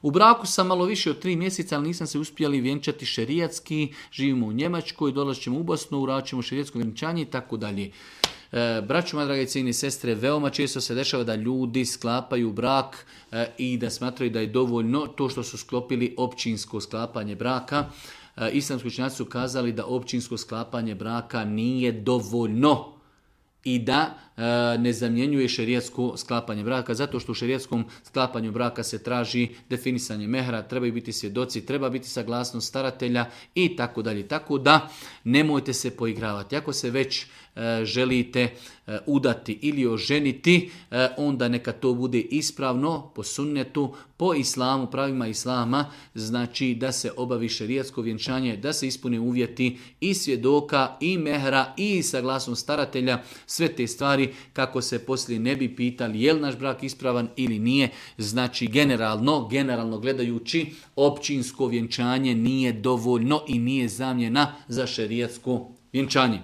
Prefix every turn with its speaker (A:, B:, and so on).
A: U braku sam malo više od 3 mjeseca, ali nisam se uspjeli vjenčati šerijatski, živimo u Njemačkoj, dolazit ćemo u Bosnu, uradit ćemo šerijatsko vjenčanje i tako dalje. Braćo, moje drage cijene sestre, veoma često se dešava da ljudi sklapaju brak i da smatraju da je dovoljno to što su sklopili općinsko sklapanje braka. Islamski učenjaci su kazali da općinsko sklapanje braka nije dovoljno i da ne zamjenjuje šerijatsko sklapanje braka, zato što u šerijatskom sklapanju braka se traži definisanje mehra, trebaju biti svjedoci, treba biti saglasnost staratelja i tako dalje. Tako da nemojte se poigravati. Ako se već želite udati ili oženiti, onda neka to bude ispravno po sunnetu, po islamu, pravima islama, znači da se obavi šerijatsko vjenčanje, da se ispune uvjeti i svjedoka, i mehra, i saglasnost staratelja, sve te stvari kako se poslije ne bi pitali je li naš brak ispravan ili nije. Znači generalno gledajući, općinsko vjenčanje nije dovoljno i nije zamjena za šerijatsko vjenčanje.